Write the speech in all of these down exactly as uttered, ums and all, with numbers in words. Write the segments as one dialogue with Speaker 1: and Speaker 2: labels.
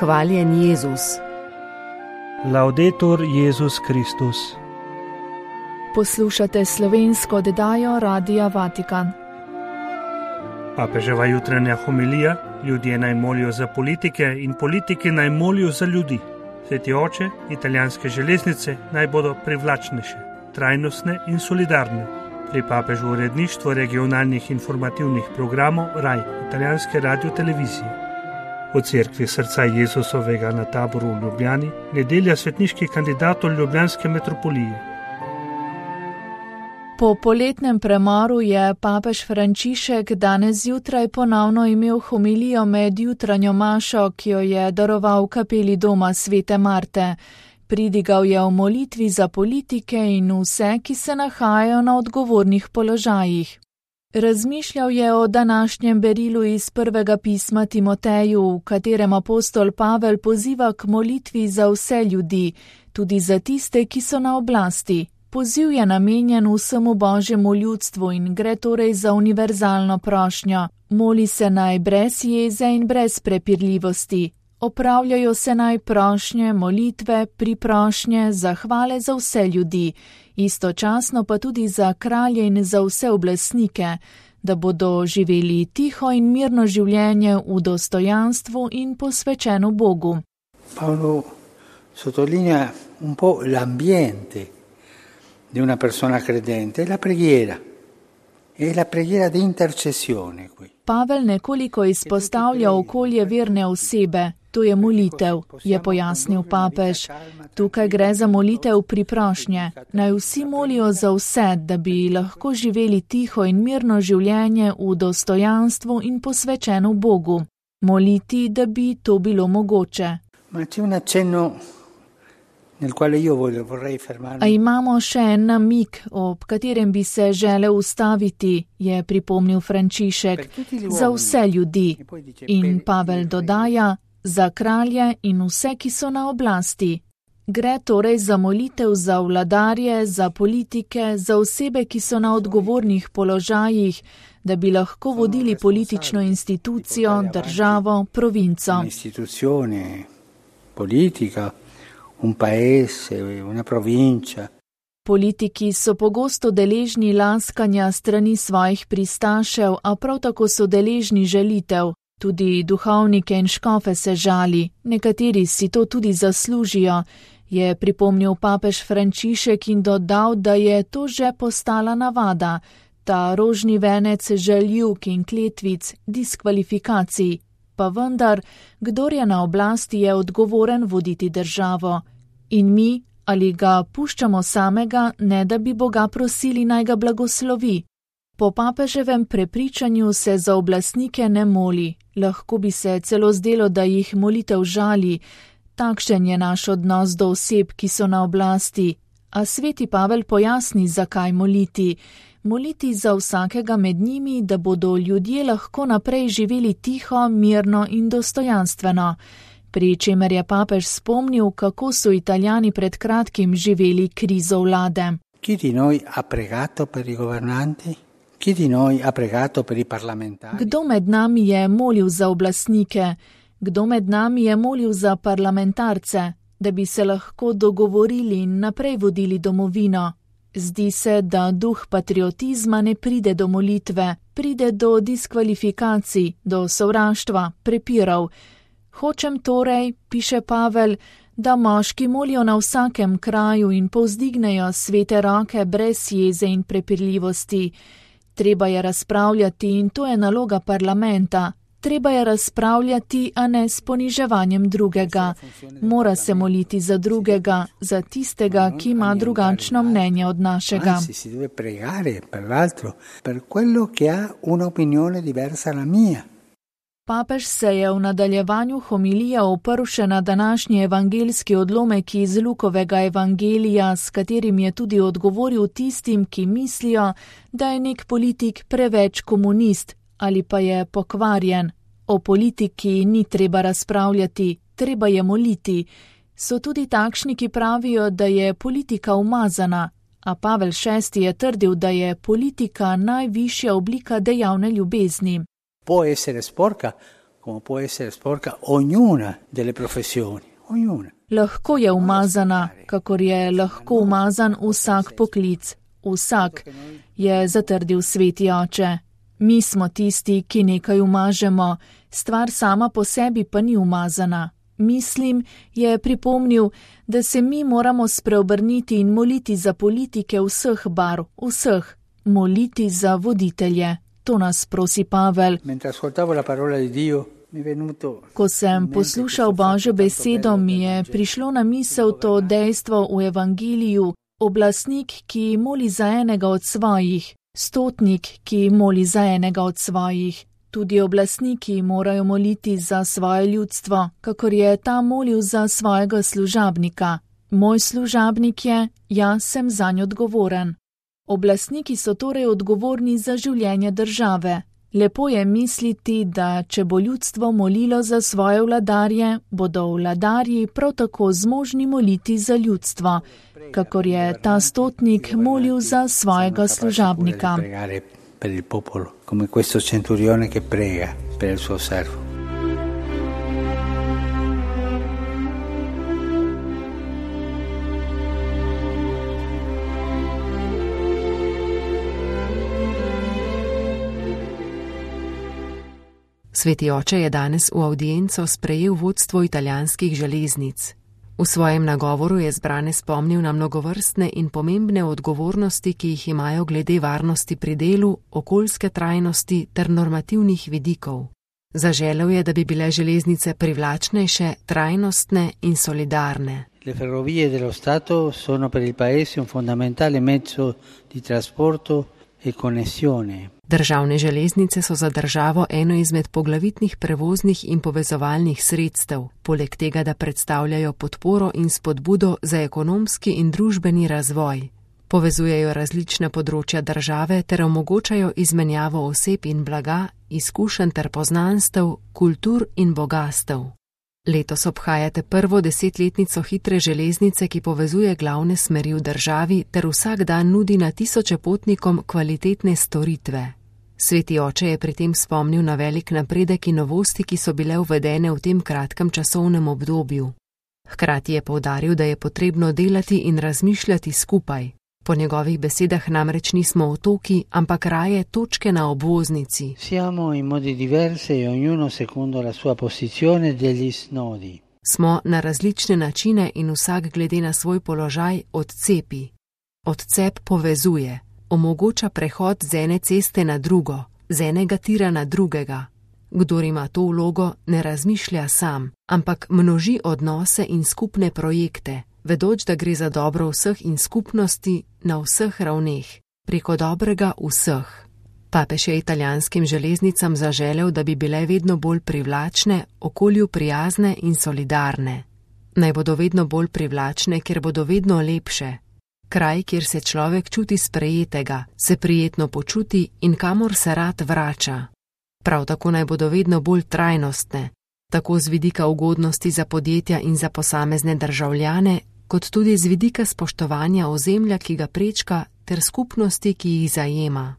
Speaker 1: Hvaljen Jezus.
Speaker 2: Laudetur Jezus Kristus.
Speaker 3: Poslušate slovensko oddajo Radia Vatikan.
Speaker 2: Papeževa jutranja homilija: ljudje naj molijo za politike in politike naj molijo za ljudi. Sveti oče, italijanske železnice naj bodo privlačnejše, trajnostne in solidarne. Pri papežu uredništvo regionalnih informativnih programov Raj, italijanske radiotelevizije. V cerkvi srca Jezusovega na Taboru v Ljubljani, nedelja svetniških kandidatov ljubljanske metropolije.
Speaker 3: Po poletnem premoru je papež Frančišek danes zjutraj ponovno imel homilijo med jutranjo mašo, ki jo je daroval v kapeli doma svete Marte. Pridigal je v molitvi za politike in vse, ki se nahajajo na odgovornih položajih. Razmišljal je o današnjem berilu iz prvega pisma Timoteju, v katerem apostol Pavel poziva k molitvi za vse ljudi, tudi za tiste, ki so na oblasti. Poziv je namenjen vsemu Božjemu ljudstvu in gre torej za univerzalno prošnjo. Moli se naj brez jeze in brez prepirljivosti. Opravljajo se naj prošnje, molitve, priprošnje, zahvale za vse ljudi, istočasno pa tudi za kralje in za vse oblastnike, da bodo živeli tiho in mirno življenje v dostojanstvu in posvečeno Bogu.
Speaker 4: Paolo sottolinea un po' l'ambiente di una persona credente, è la preghiera, è la preghiera di intercessione qui.
Speaker 3: Pavel nekoliko izpostavlja okolje verne osebe, to je molitev, je pojasnil papež. Tukaj gre za molitev priprošnje. Naj vsi molijo za vse, da bi lahko živeli tiho in mirno življenje v dostojanstvu in posvečeno Bogu. Moliti, da bi to bilo mogoče.
Speaker 4: Ma c'è un accenno nel quale io vorrei fermarmi.
Speaker 3: A imamo še en namig, ob katerem bi se želel ustaviti, je pripomnil Frančišek, za vse ljudi. In Pavel dodaja, za kralje in vse, ki so na oblasti. Gre torej za molitev za vladarje, za politike, za osebe, ki so na odgovornih položajih, da bi lahko vodili politično institucijo, državo, provinco.
Speaker 4: Instituzione, politika, un paese, una provincia.
Speaker 3: Politiki so pogosto deležni laskanja strani svojih pristašev, a prav tako so deležni žalitev. Tudi duhovnike in škofe se žali, nekateri si to tudi zaslužijo, je pripomnil papež Frančišek in dodal, da je to že postala navada, ta rožni venec žaljivk in kletvic, diskvalifikacij. Pa vendar, kdor je na oblasti, je odgovoren voditi državo. In mi, ali ga puščamo samega, ne da bi Boga prosili, naj ga blagoslovi. Po papeževem prepričanju se za oblastnike ne moli, lahko bi se celo zdelo, da jih molitev žali. Takšen je naš odnos do oseb, ki so na oblasti. A sveti Pavel pojasni, zakaj moliti. Moliti za vsakega med njimi, da bodo ljudje lahko naprej živeli tiho, mirno in dostojanstveno. Pri čemer je papež spomnil, kako so Italijani pred kratkim živeli krizo vlade.
Speaker 4: Chi di noi ha pregato per i governanti? Chi di noi ha pregato per i parlamentari?
Speaker 3: Kdo med nami je molil za oblastnike? Kdo med nami je molil za parlamentarce, da bi se lahko dogovorili in naprej vodili domovino? Zdi se, da duh patriotizma ne pride do molitve, pride do diskvalifikacij, do sovraštva, prepirov. Hočem torej, piše Pavel, da moški molijo na vsakem kraju in povzdignejo svete roke brez jeze in prepirljivosti. Treba je razpravljati in to je naloga parlamenta. Treba je razpravljati, a ne s poniževanjem drugega. Mora se moliti za drugega, za tistega, ki ima drugačno mnenje od našega.
Speaker 4: Anzi, si deve pregare per l'altro, per quello che ha un'opinione diversa dalla mia.
Speaker 3: Papež se je v nadaljevanju homilije oprl še na današnji evangeljski odlomek iz Lukovega evangelija, s katerim je tudi odgovoril tistim, ki mislijo, da je nek politik preveč komunist ali pa je pokvarjen. O politiki ni treba razpravljati, treba je moliti. So tudi takšni, ki pravijo, da je politika umazana, a Pavel šesti je trdil, da je politika najvišja oblika dejavne ljubezni.
Speaker 4: Può essere sporca come può essere sporca ognuna delle professioni, ognuna.
Speaker 3: Lahko je umazana, kakor je lahko umazan vsak poklic. Vsak, je zatrdil sveti oče. Mi smo tisti, ki nekaj umažemo, stvar sama po sebi pa ni umazana. Mislim, je pripomnil, da se mi moramo spreobrniti in moliti za politike vseh barv, vseh, moliti za voditelje. To nas prosi Pavel. Ko sem poslušal Božjo besedo, mi je prišlo na misel to dejstvo v evangeliju, oblastnik, ki moli za enega od svojih, stotnik, ki moli za enega od svojih. Tudi oblastniki morajo moliti za svoje ljudstvo, kakor je ta molil za svojega služabnika. Moj služabnik je, jaz sem zanj odgovoren. Oblastniki so torej odgovorni za življenje države. Lepo je misliti, da če bo ljudstvo molilo za svoje vladarje, bodo vladarji prav tako zmožni moliti za ljudstvo, kakor je ta stotnik molil za svojega služabnika.
Speaker 4: Per il popolo, come questo centurione che prega per il suo servo.
Speaker 1: Sveti oče je danes v avdienco sprejel vodstvo italijanskih železnic. V svojem nagovoru je zbrane spomnil na mnogovrstne in pomembne odgovornosti, ki jih imajo glede varnosti pri delu, okoljske trajnosti ter normativnih vidikov. Zaželel je, da bi bile železnice privlačnejše, trajnostne in solidarne.
Speaker 4: Le ferrovie dello Stato sono per il paese un fondamentale mezzo di trasporto e connessione.
Speaker 1: Državne železnice so za državo eno izmed poglavitnih prevoznih in povezovalnih sredstev, poleg tega, da predstavljajo podporo in spodbudo za ekonomski in družbeni razvoj. Povezujejo različne področja države ter omogočajo izmenjavo oseb in blaga, izkušenj ter poznanstev, kultur in bogastev. Letos obhajate prvo desetletnico hitre železnice, ki povezuje glavne smeri v državi ter vsak dan nudi na tisoče potnikom kvalitetne storitve. Sveti oče je pri tem spomnil na velik napredek in novosti, ki so bile uvedene v tem kratkem časovnem obdobju. Hkrati je poudaril, da je potrebno delati in razmišljati skupaj. Po njegovih besedah namreč nismo otoki, ampak raje točke na obvoznici.
Speaker 4: Siamo in modi diversi e ognuno secondo la sua posizione degli snodi.
Speaker 1: Smo na različne načine in vsak glede na svoj položaj odcepi. Odcep povezuje, omogoča prehod z ene ceste na drugo, z enega tira na drugega. Kdor ima to vlogo, ne razmišlja sam, ampak množi odnose in skupne projekte, vedoč, da gre za dobro vseh in skupnosti na vseh ravneh, preko dobrega vseh. Papež je italijanskim železnicam zaželel, da bi bile vedno bolj privlačne, okolju prijazne in solidarne. Naj bodo vedno bolj privlačne, ker bodo vedno lepše. Kraj, kjer se človek čuti sprejetega, se prijetno počuti in kamor se rad vrača. Prav tako naj bodo vedno bolj trajnostne, tako z vidika ugodnosti za podjetja in za posamezne državljane, kot tudi z vidika spoštovanja ozemlja, ki ga prečka, ter skupnosti, ki jih zajema.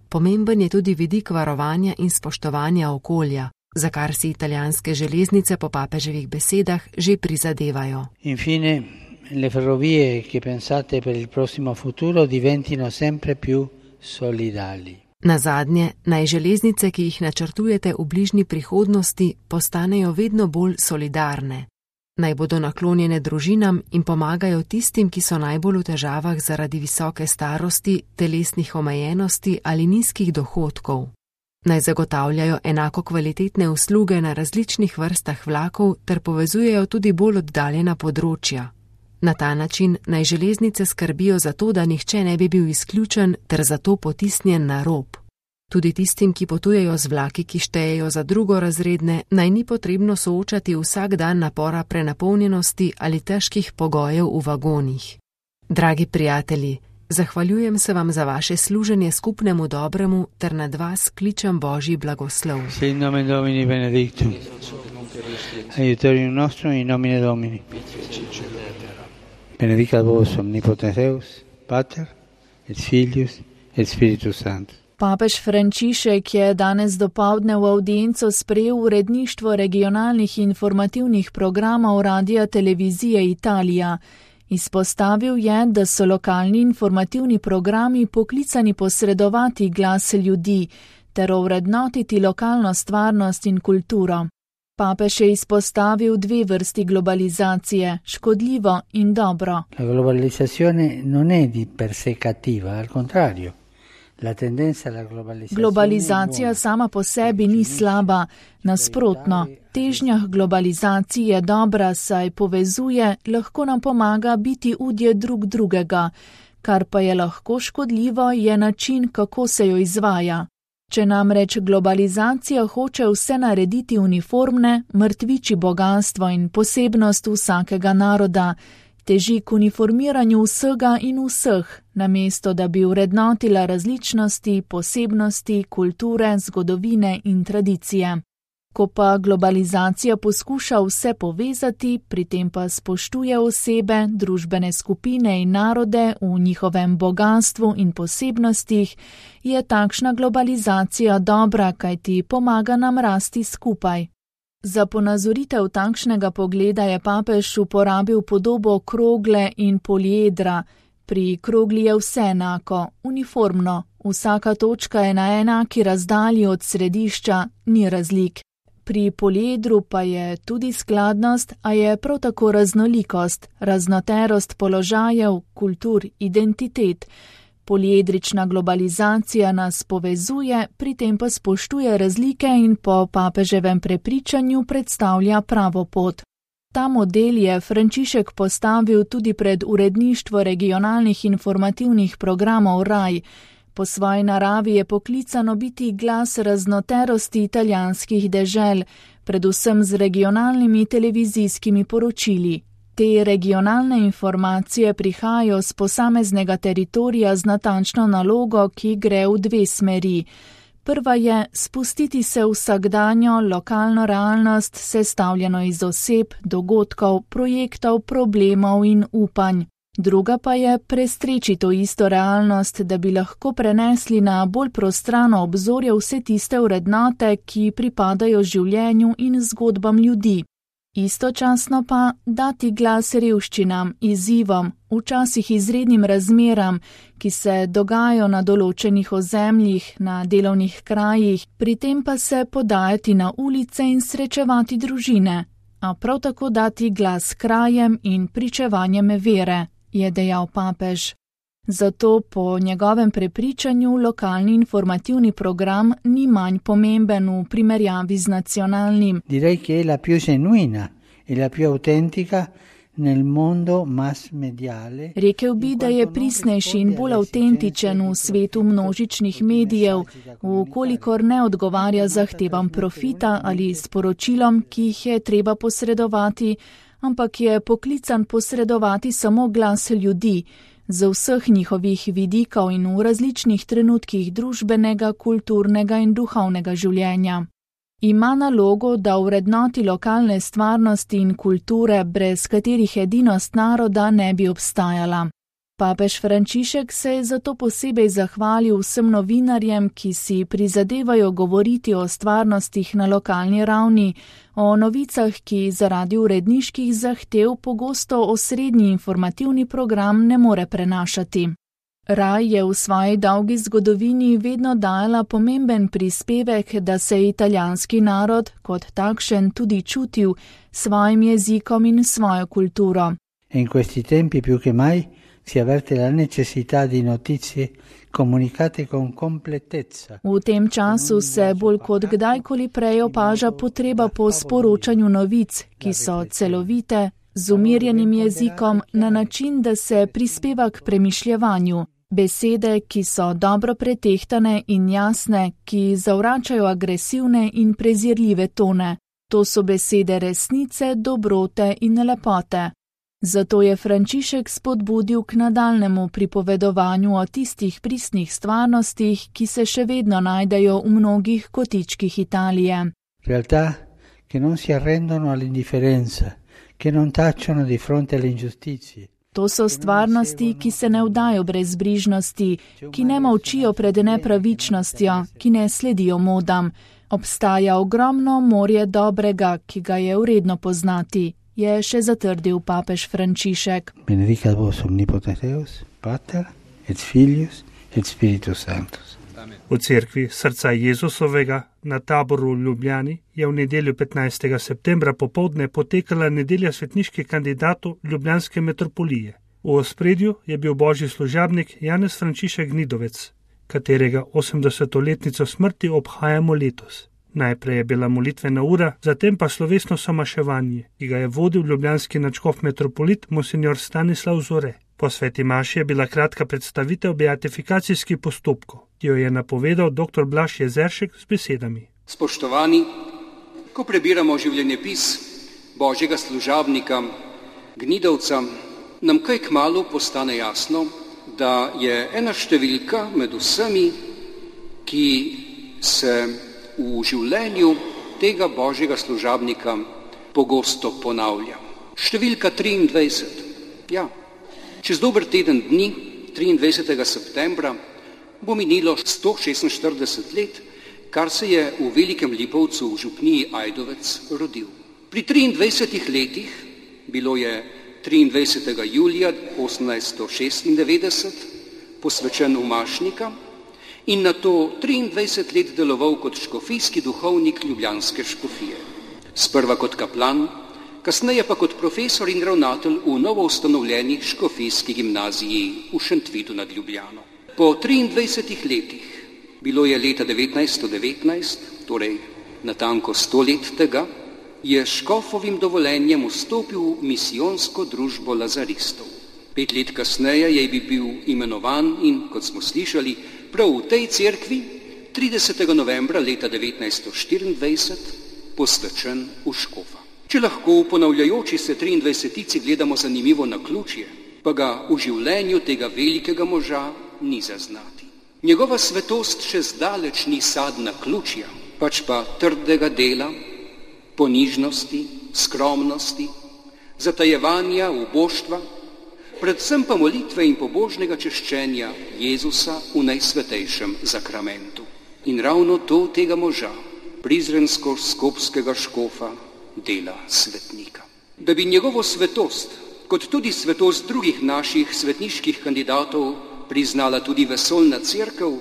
Speaker 1: Pomemben je tudi vidik varovanja in spoštovanja okolja, za kar si italijanske železnice po papeževih besedah že prizadevajo.
Speaker 4: Infine, le ferrovie che pensate per il prossimo futuro diventino sempre più solidali.
Speaker 1: Nazadnje, naj železnice, ki jih načrtujete v bližnji prihodnosti, postanejo vedno bolj solidarne. Naj bodo naklonjene družinam in pomagajo tistim, ki so najbolj v težavah zaradi visoke starosti, telesnih omejenosti ali nizkih dohodkov. Naj zagotavljajo enako kvalitetne usluge na različnih vrstah vlakov ter povezujejo tudi bolj oddaljena področja. Na ta način naj železnice skrbijo za to, da nihče ne bi bil izključen ter zato potisnjen na rob. Tudi tistim, ki potujejo z vlaki, ki štejejo za drugorazredne, naj ni potrebno soočati vsak dan napora prenapolnjenosti ali težkih pogojev v vagonih. Dragi prijatelji, zahvaljujem se vam za vaše služenje skupnemu dobremu ter nad vas kličem Božji blagoslov.
Speaker 4: Sit nomen Domini benedictum. Aiutorium nostrum in nomine Domini. Benedicat vos omnipotens Deus, Pater, et Filius, et Spiritus Sanctus.
Speaker 3: Papež Frančišek je danes dopoldne v avdienco sprejel uredništvo regionalnih informativnih programov Radia Televizije Italija. Izpostavil je, da so lokalni informativni programi poklicani posredovati glas ljudi ter ovrednotiti lokalno stvarnost in kulturo. Papež je izpostavil dve vrsti globalizacije, škodljivo in dobro.
Speaker 4: La globalizzazione non è di per sé cattiva, al contrario.
Speaker 3: Globalizacija sama po sebi ni slaba, nasprotno, težnja globalizacije je dobra, saj povezuje, lahko nam pomaga biti udje drug drugega, kar pa je lahko škodljivo, je način, kako se jo izvaja. Če namreč globalizacija hoče vse narediti uniformne, mrtviči bogastvo in posebnost vsakega naroda, teži k uniformiranju vsega in vseh, namesto da bi vrednotila različnosti, posebnosti, kulture, zgodovine in tradicije. Ko pa globalizacija poskuša vse povezati, pri tem pa spoštuje osebe, družbene skupine in narode v njihovem bogatstvu in posebnostih, je takšna globalizacija dobra, kajti pomaga nam rasti skupaj. Za ponazoritev takšnega pogleda je papež uporabil podobo krogle in poliedra. Pri krogli je vse enako, uniformno, vsaka točka je na enaki razdalji od središča, ni razlik. Pri poliedru pa je tudi skladnost, a je prav tako raznolikost, raznoterost položajev, kultur, identitet. Poliedrična globalizacija nas povezuje, pri tem pa spoštuje razlike in po papeževem prepričanju predstavlja pravo pot. Ta model je Frančišek postavil tudi pred uredništvo regionalnih informativnih programov Raj. Po svoji naravi je poklicano biti glas raznoterosti italijanskih dežel, predvsem z regionalnimi televizijskimi poročili. Te regionalne informacije prihajajo z posameznega teritorija z natančno nalogo, ki gre v dve smeri. Prva je spustiti se v vsakdanjo lokalno realnost, sestavljeno iz oseb, dogodkov, projektov, problemov in upanj. Druga pa je prestreči to isto realnost, da bi lahko prenesli na bolj prostrano obzorje vse tiste vrednote, ki pripadajo življenju in zgodbam ljudi. Istočasno pa dati glas revščinam, izzivom, včasih izrednim razmeram, ki se dogajajo na določenih ozemljih, na delovnih krajih, pri tem pa se podajati na ulice in srečevati družine, a prav tako dati glas krajem in pričevanjem vere, je dejal papež. Zato po njegovem prepričanju lokalni informativni program ni manj pomemben v primerjavi z nacionalnim.
Speaker 4: Direi che è la più genuina e la più autentica nel mondo mass mediale.
Speaker 3: Rekel bi, da je prisnejši in bolj avtentičen v svetu množičnih medijev, vkolikor ne odgovarja zahtevam profita ali sporočilom, ki jih je treba posredovati, ampak je poklican posredovati samo glas ljudi, z vseh njihovih vidikov in v različnih trenutkih družbenega, kulturnega in duhovnega življenja. Ima nalogo, da vrednoti lokalne stvarnosti in kulture, brez katerih edinost naroda ne bi obstajala. Papež Frančišek se je zato posebej zahvalil vsem novinarjem, ki si prizadevajo govoriti o stvarnostih na lokalni ravni, o novicah, ki zaradi uredniških zahtev pogosto osrednji informativni program ne more prenašati. Raj je v svoji dolgi zgodovini vedno dajala pomemben prispevek, da se je italijanski narod kot takšen tudi čutil s svojim jezikom in svojo kulturo.
Speaker 4: In questi tempi più che mai si avverte la necessità di notizie comunicate con completezza.
Speaker 3: V tem času se bolj kot kdajkoli prej opaža potreba po sporočanju novic, ki so celovite, z umirjenim jezikom, na način, da se prispeva k premišljevanju. Besede, ki so dobro pretehtane in jasne, ki zavračajo agresivne in prezirljive tone. To so besede resnice, dobrote in lepote. Zato je Frančišek spodbudil k nadaljnemu pripovedovanju o tistih pristnih stvarnostih, ki se še vedno najdejo v mnogih kotičkih Italije.
Speaker 4: Realtà che non si arrendono all'indifferenza, che non tacciono di fronte alle ingiustizie.
Speaker 3: To so stvarnosti, ki se ne vdajo brezbrižnosti, ki ne molčijo pred nepravičnostjo, ki ne sledijo modam. Obstaja ogromno morje dobrega, ki ga je vredno poznati, je še zatrdil papež Frančišek.
Speaker 4: Benedicat vos omnipotens Deus, Pater et Filius et Spiritus Sanctus.
Speaker 2: V cerkvi srca Jezusovega na Taboru v Ljubljani je v nedeljo petnajstega septembra popoldne potekala nedelja svetniških kandidatov ljubljanske metropolije. V ospredju je bil božji služabnik Janez Frančišek Gnidovec, katerega osemdesetletnico smrti obhajamo letos. Najprej je bila molitvena ura, zatem pa slovesno somaševanje, ki ga je vodil ljubljanski nadškof metropolit monsignor Stanislav Zore. Po sveti maši je bila kratka predstavitev beatifikacijskih postopkov, ki jo je napovedal dr. Blaž Jezeršek z besedami.
Speaker 5: Spoštovani, ko prebiramo življenjepis božjega služabnika Gnidovca, nam kaj kmalu postane jasno, da je ena številka med vsemi, ki se v življenju tega božjega služabnika pogosto ponavlja. Številka triindvajset. Ja, čez dober teden dni, triindvajsetega septembra, bo minilo sto šestinštirideset let, kar se je v Velikem Lipovcu v župniji Ajdovec rodil. Pri triindvajsetih letih, bilo je triindvajsetega julija osemnajststo šestindevetdeset, posvečen v Mašnika in nato triindvajset let deloval kot škofijski duhovnik ljubljanske škofije. Sprva kot kaplan, kasneje pa kot profesor in ravnatelj v novoustanovljeni škofijski gimnaziji v Šentvidu nad Ljubljano. Po triindvajsetih letih, bilo je leta devetnajststo devetnajst, torej natanko sto let tega, je s škofovim dovoljenjem vstopil v misijonsko družbo lazaristov. Pet let kasneje je bil imenovan in, kot smo slišali, prav v tej cerkvi tridesetega novembra leta devetnajststo štiriindvajset posvečen v škofa. Če lahko v ponavljajoči se triindvajsetici gledamo zanimivo naključje, pa ga v življenju tega velikega moža ni zaznati. Njegova svetost še zdaleč ni sad naključja, pač pa trdega dela, ponižnosti, skromnosti, zatajevanja, uboštva, predvsem pa molitve in pobožnega češčenja Jezusa v najsvetejšem zakramentu. In ravno to tega moža, prizrensko-skopskega škofa, dela svetnika. Da bi njegovo svetost, kot tudi svetost drugih naših svetniških kandidatov, priznala tudi vesoljna cerkev,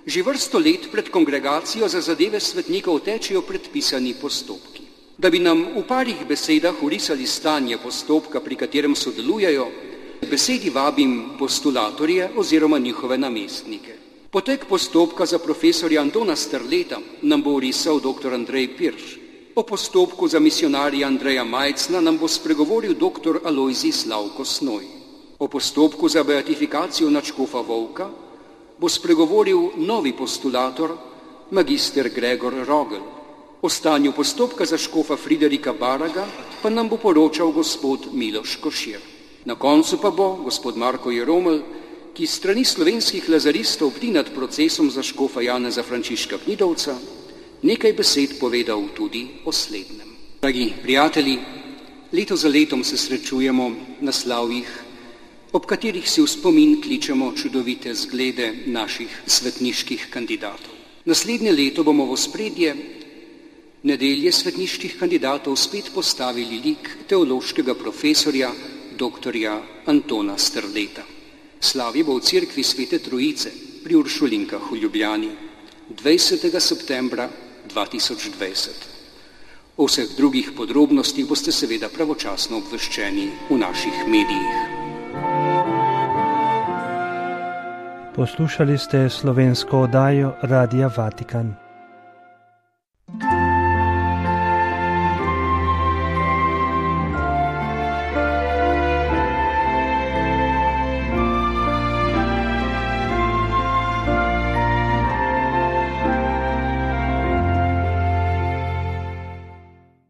Speaker 5: že vrsto let pred kongregacijo za zadeve svetnikov tečejo predpisani postopki. Da bi nam v parih besedah orisali stanje postopka, pri katerem sodelujejo, besedi vabim postulatorje oziroma njihove namestnike. Potek postopka za profesorja Antona Strleta nam bo orisal dr. Andrej Pirš. O postopku za misionarja Andreja Majcna nam bo spregovoril dr. Alojzij Slavko Snoj. O postopku za beatifikacijo nadškofa Volka bo spregovoril novi postulator, magister Gregor Rogel. O stanju postopka za škofa Friderika Baraga pa nam bo poročal gospod Miloš Košir. Na koncu pa bo gospod Marko Jeromelj, ki strani slovenskih lazaristov bdi nad procesom za škofa Janeza Frančiška Gnidovca, nekaj besed povedal tudi o slednjem. Dragi prijatelji, leto za letom se srečujemo na slavjih, ob katerih si v spomin kličemo čudovite zglede naših svetniških kandidatov. Naslednje leto bomo v ospredje nedelje svetniških kandidatov spet postavili lik teološkega profesorja doktorja Antona Strleta. Slavje bo v cerkvi Svete Trojice pri Uršulinkah v Ljubljani dvajsetega septembra dva tisoč dvajset. O vseh drugih podrobnostih boste seveda pravočasno obveščeni v naših medijih.
Speaker 2: Poslušali ste slovensko oddajo Radia Vatikan.